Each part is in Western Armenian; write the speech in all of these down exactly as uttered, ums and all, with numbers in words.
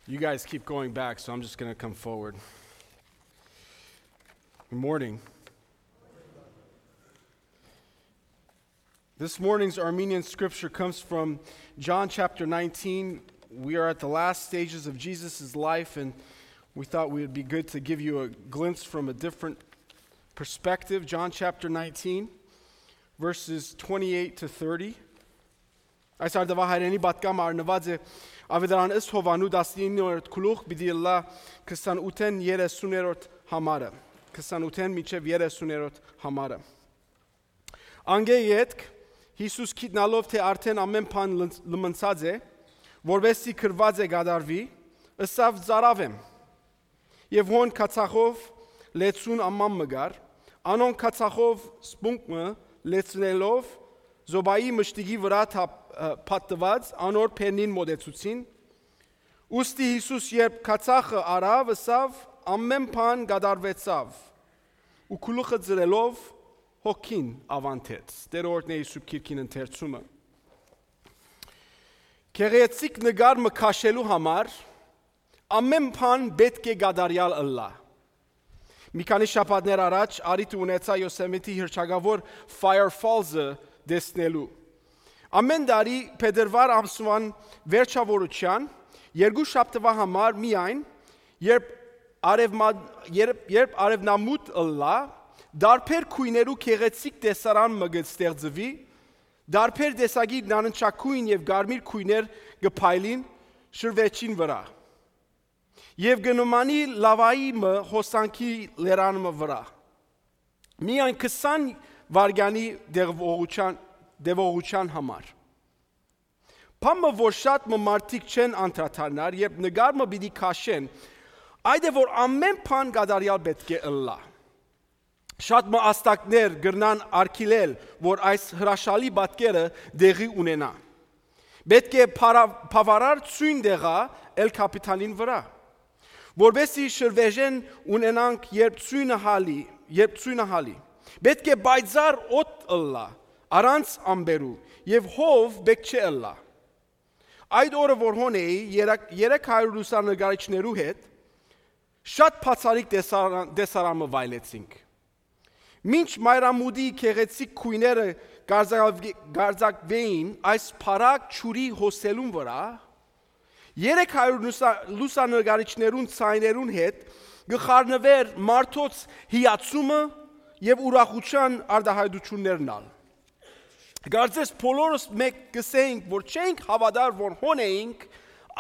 You guys keep going back, so I'm just going to come forward. Good morning. This morning's Armenian scripture comes from John chapter nineteen. We are at the last stages of Jesus' life, and we thought we would be good to give you a glimpse from a different perspective. John chapter nineteen, verses twenty-eight to thirty. Այս արդուահայրենի պատգամը առնուած է Աւետարան ըստ Յովհաննու տասնիններորդ գլուխ, պիտի ըլլայ քսանութ երեսուններորդ համարը, քսանութ մինչեւ երեսուններորդ համարը։ Անկէ ետք Յիսուս գիտնալով թէ արդէն ամէն բան լն-, լմնցած է, որպէս զի գրուած է կատարուի, ըսաւ. «Ծարաւ եմ»։ Եւ հոն քացախով լեցուն աման մը կար, անոնք քացախով սպունգ մը լեցնելով, զոբայի մշտիկի վրայ թափ-, ը, փաթթուած, անոր բերնին մօտեցուցին։ Ուստի Յիսուս, երբ քացախը առաւ, ըսաւ. «Ամէն բան կատարուեցաւ»։ Ու գլուխը ծրելով, հոգին աւանդեց։ Տէրը օրհնէ Յիսուս քիրքին ընթերցումը։ Գեղեցիկ նկար մը քաշելու համար ամէն բան պէտք է կատարեալ ըլլայ։ Մի քանի շաբաթներ առաջ առիթը ունեցայ Յոսեմիթի հռչակաւոր Fire Falls-ը տեսնելու։ Ամէն տարի փետրուար ամսուան վերջաւորութեան, երկու շաբթուայ համար միայն, երբ արեւմա-, երբ, երբ արեւնամուտ ըլլայ, տարբեր գոյներու գեղեցիկ տեսարան մը կը ստեղծուի, տարբեր տեսակի նարնջագոյն եւ կարմիր գոյներ կը փայլին շրուեջին վրայ եւ կը նմանի լաւայի մը հոսանքի լերան մը վրայ։ Միայն քսան վայրկեանի տեւողութեան, տեւողութեան համար։ Բան մը, որ շատ մը մարդիկ չեն անդրադառնար, երբ նկար մը պիտի քաշեն, այդ է, որ ամէն բան կատարեալ պէտք է ըլլայ։ Շատ մը ազդակներ կրնան արգիլել, որ այս հրաշալի պատկերը տեղի ունենայ։ Պէտք է փարա-, բաւարար ցոյն տեղայ Էլ Քապիթանին վրայ, որպէս զի շրուեժեն ունենանք, երբ ցոյնը հալի, երբ ցոյնը հալի։ Պէտք է պայծառ օդ ըլլայ, առանց ամպերու, եւ հով պէտք չէ ըլլայ։ Այդ օրը, որ հոն էի, երեք-, երեք հարիւր լուսանկարիչներու հետ շատ բացառիկ տեսարա-, տեսարան մը վայելեցինք։ Մինչ մայրամուտի գեղեցիկ գոյները կարձակաւ-, կարձակուէին այս փառակ ջուրի հոսելուն վրայ, երեք հարիւր լուսա-, լուսանկարիչներուն ձայներուն հետ կը խառնուէր մարդոց հիացումը եւ ուրախութեան արտահայտություններն ալ։ Կարծես բոլորս մէկ կ'ըսէինք, որ չենք հաւատար, որ հոն էինք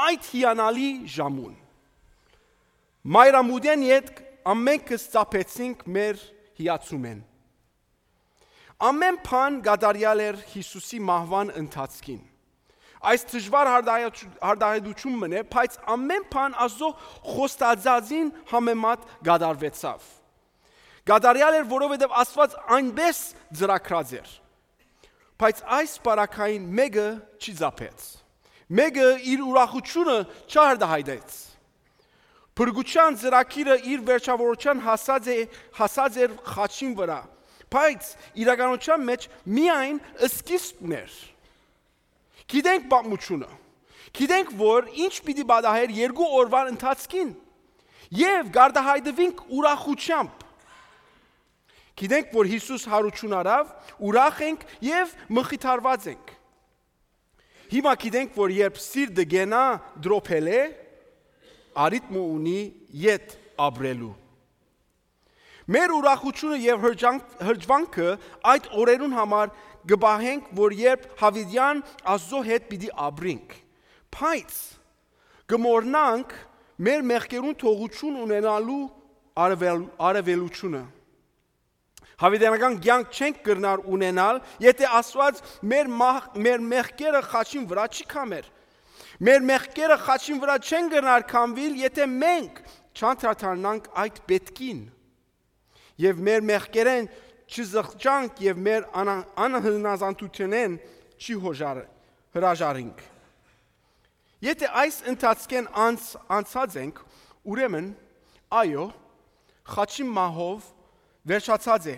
այդ հիանալի ժամուն։ Մայրամուտէն ետք ամէնքս ծափեցինք մեր հիացումէն։ Ամէն բան կատարեալ էր Յիսուսի մահուան ընթացքին։ Այս դժուար արտահայտու-, արտահայտութիւն մըն է, բայց ամէն բան Աստուծոյ խոստացածին համեմատ կատարուեցաւ։ Կատարեալ էր, որովհետեւ Աստուած այնպէս ծրագրած էր։ Բայց այս պարագային մէկը չի ծափեց։ Մէկը իր ուրախութիւնը չարտահայտեց։ Փրկութեան ծրագիրը իր վերջաւորութեան հասած է, հասած էր խաչին վրայ, բայց իրականութեան մէջ միայն սկիզբն էր։ Գիտենք պատմութիւնը։ Գիտենք, որ ինչ պիտի պատահեր երկու օրվան ընթացքին, եւ կարտահայտուինք ուրախութեամբ։ Գիտենք, որ Յիսուս յարութիւն առաւ, ուրախ ենք եւ մխիթարուած ենք։ Հիմա գիտենք, որ երբ սիրտը կենայ դրոփելէ, առիթ մը ունի ետ ապրելու։ Մեր ուրախութիւնը եւ հրճանք-, հրճվանքը այդ օրերուն համար կը պահենք, որ երբ յաւիտեան Աստուծոյ հետ պիտի ապրենք, բայց կը մոռնանք մեր մեղքերուն թողութիւն ունենալու արվել-, արվելութիւնը։ Յաւիտենական կեանք չենք կրնար ունենալ, եթէ Աստուած մեր մահ-, մեր մեղքերը խաչին վրայ չի քամեր։ Մեր մեղքերը խաչին վրայ չեն կրնար քամուիլ, եթէ մենք չանդրադառնանք այդ պէտքին եւ մեր մեղքերէն չզղջանք եւ մեր անա-, անհնազանդութենէն չի հոժար-, հրաժարինք։ Եթէ այս ընթացքէն անց-, անցած ենք, ուրեմն, այո, խաչի մահով վերջացած է,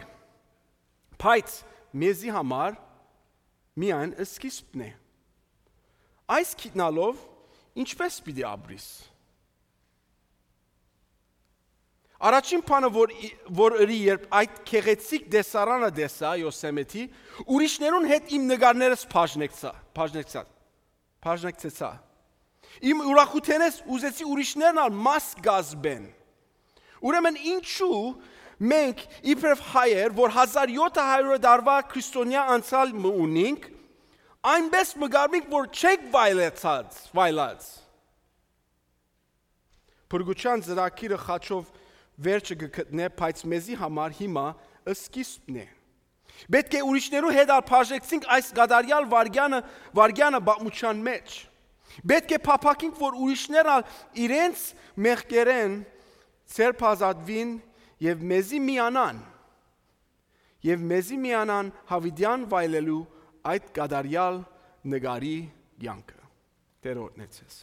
բայց մեզի համար միայն սկիզբն է։ Այս գիտնալով ինչպե՞ս պիտի ապրիս։ Առաջին բանը, որ, որ ըրի, երբ այդ գեղեցիկ տեսարանը տեսայ Յոսեմիթի, ուրիշներուն հետ իմ նկարներս բաժնեկցայ, բաժնեկցայ, բաժնեկցեցայ։ Իմ ուրախութենէս ուզեցի ուրիշներն ալ մաս կազմեն։ Ուրեմն ինչու մենք, իբրեւ հայեր, որ հազար յոթ հարիւր տարուայ քրիստոնեայ անցեալ մը ունինք, այնպէս մը կարմինք, որ չենք վայելեցած, վայելած։ Փրկութեան ծրագիրը խաչով վերջը կը գտնէ, բայց մեզի համար հիմա սկիզբն է։ Պէտք է ուրիշներու հետ ալ բաժնեկցինք այս կատարեալ վայրկեանը, վայրկեանը պատմութեան մէջ։ Պէտք է փափաքինք, որ ուրիշներ ալ իրենց մեղքերէն ձերբազատուին եւ մեզի միանան, եւ մեզի միանան յաւիտեան վայելելու այդ կատարեալ նկարի կեանքը։ Տէր օրհնեցես։